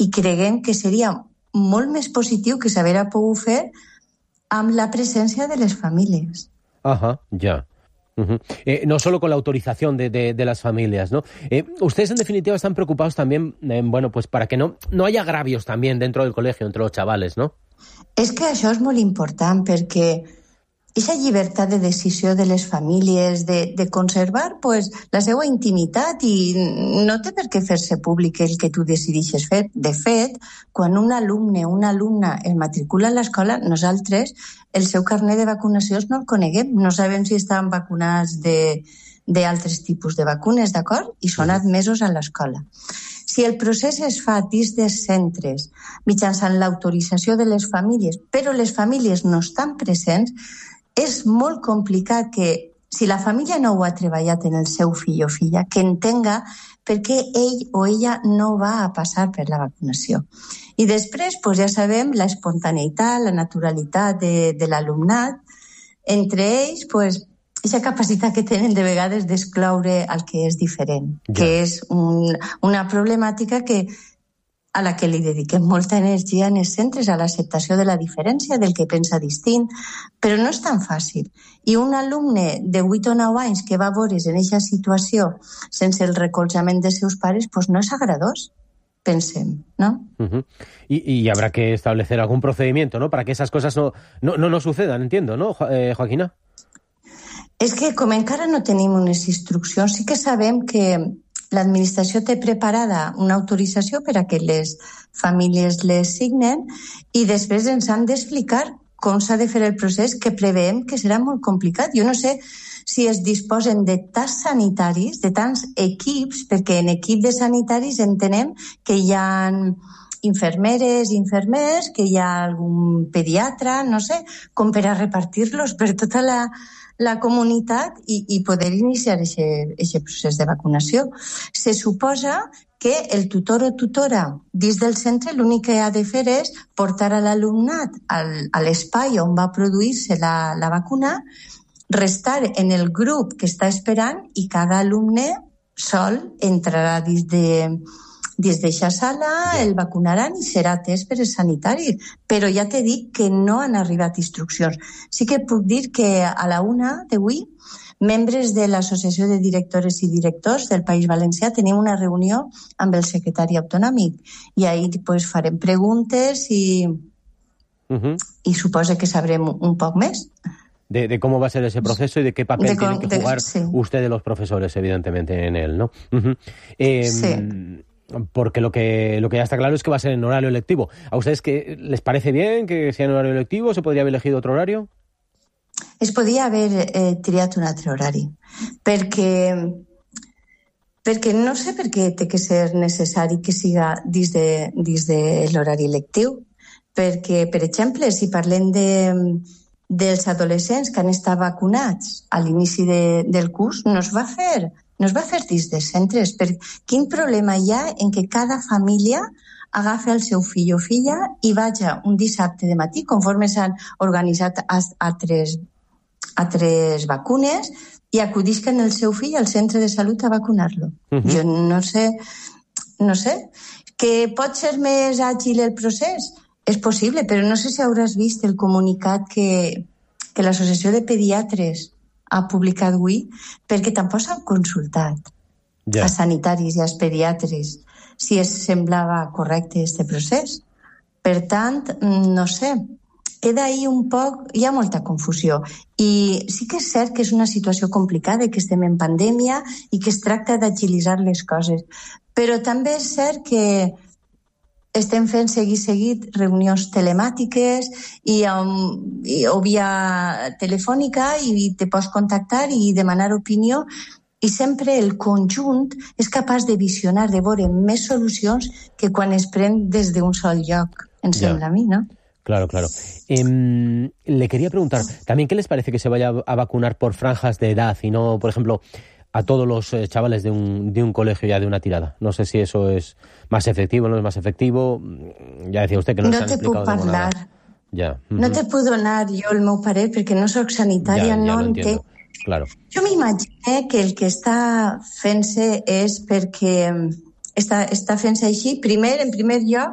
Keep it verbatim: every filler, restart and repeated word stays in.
i creguem que seria molt més positiu que s'haguera pogut fer amb la presència de les famílies. Ajá, ya. Uh-huh. Eh, no solo con la autorización de, de, de las familias, ¿no? Eh, ustedes, en definitiva, están preocupados también, eh, bueno, pues para que no, no haya agravios también dentro del colegio entre los chavales, ¿no? És que això és molt important, perquè aquesta llibertat de decisió de les famílies, de, de conservar pues, la seva intimitat, i no té per què fer-se públic el que tu decidixes fer. De fet, quan un alumne o una alumna es matricula a l'escola, nosaltres el seu carnet de vacunacions no el coneguem, no sabem si estan vacunats de, d'altres tipus de vacunes, d'acord? I són admesos a l'escola. Si el procés es fa dins dels centres mitjançant l'autorització de les famílies, però les famílies no estan presents, és molt complicat que, si la família no ho ha treballat en el seu fill o filla, que entenga per què ell o ella no va a passar per la vacunació. I després, pues ja sabem, la espontaneïtat, la naturalitat de, de l'alumnat, entre ells, pues, aquesta capacitat que tenen de vegades d'excloure el que és diferent, ja. Que és un, una problemàtica que a la que li dediquem molta energia en els centres, a l'acceptació de la diferència, del que pensa distint, però no és tan fàcil. I un alumne de vuit o nou anys que va veure's en aquesta situació sense el recolzament dels seus pares, pues no és agradós, pensem, ¿no? Uh-huh. Y, y habrá que establecer algún procedimiento, ¿no?, para que esas cosas no, no, no, no sucedan, entiendo, ¿no, jo- eh, Joaquina? És que com encara no tenim unes instruccions, sí que sabem que l'administració té preparada una autorització per a que les famílies les signen i després ens han d'explicar com s'ha de fer el procés, que preveiem que serà molt complicat. Jo no sé si es disposen de tants sanitaris, de tants equips, perquè en equip de sanitaris entenem que hi ha infermeres, infermers, que hi ha algun pediatre, no sé, com per a repartir-los per tota la... la comunitat i, i poder iniciar aquest procés de vacunació. Se suposa que el tutor o tutora dins del centre l'únic que ha de fer és portar a l'alumnat al, a l'espai on va produir-se la, la vacuna, restar en el grup que està esperant i cada alumne sol entrarà dins de dins d'eixa sala, el vacunaran i serà atès per els sanitaris. Però ja t'he dit que no han arribat instruccions. Sí que puc dir que a la una d'avui, membres de l'Associació de Directores i Directors del País Valencià tenim una reunió amb el secretari autonòmic i ahir pues, farem preguntes i, uh-huh. i suposo que sabrem un poc més. De, de cómo va a ser ese proceso y de qué papel de tienen que jugar de, sí. ustedes los profesores, evidentemente, en él, ¿no? Uh-huh. Eh, sí. Porque lo que lo que ya está claro es que va a ser en horario lectivo. ¿A ustedes que les parece bien que sea en horario lectivo? ¿Se podría haber elegido otro horario? Es podia haver eh, triat un altre horari, perquè, perquè no sé per què té que ser necessari que siga dins de, dins de l'horari lectiu, perquè, per exemple, si parlem de, dels adolescents que han estat vacunats a l'inici de, del curs, no es va fer no es va fer dins dels centres. Per quin problema hi ha en que cada família agafi el seu fill o filla i vaja un dissabte de matí, conforme s'han organitzat altres, altres vacunes, i acudisquen el seu fill al centre de salut a vacunar-lo? Uh-huh. Jo no sé, no sé. Que pot ser més àgil el procés? És possible, però no sé si hauràs vist el comunicat que, que l'Associació de Pediatres ha publicat avui, perquè tampoc s'han consultat yeah. a sanitaris i als pediatres si es semblava correcte aquest procés. Per tant, no sé, queda ahí un poc, hi ha molta confusió. I sí que és cert que és una situació complicada, que estem en pandèmia i que es tracta d'agilitzar les coses. Però també és cert que estem fent seguit seguit reunions telemàtiques i, um, i, o via telefònica i te pots contactar i demanar opinió i sempre el conjunt és capaç de visionar, de veure més solucions que quan es pren des d'un sol lloc, em ja. sembla a mi, ¿no? Claro, claro. Eh, le quería preguntar, ¿también qué les parece que se vaya a vacunar por franjas de edad y no, por ejemplo, a todos los eh, chavales de un, de un colegio ya de una tirada? No sé si eso es más efectivo o no es más efectivo. Ya decía usted que no, no s'han explicado de nada. Ja. Uh-huh. No te puc donar jo el meu parer perquè no soc sanitària, ja, ja no entenc. Claro. Jo m'imagino que el que està fent-se és perquè està, està fent-se així, primer, en primer lloc,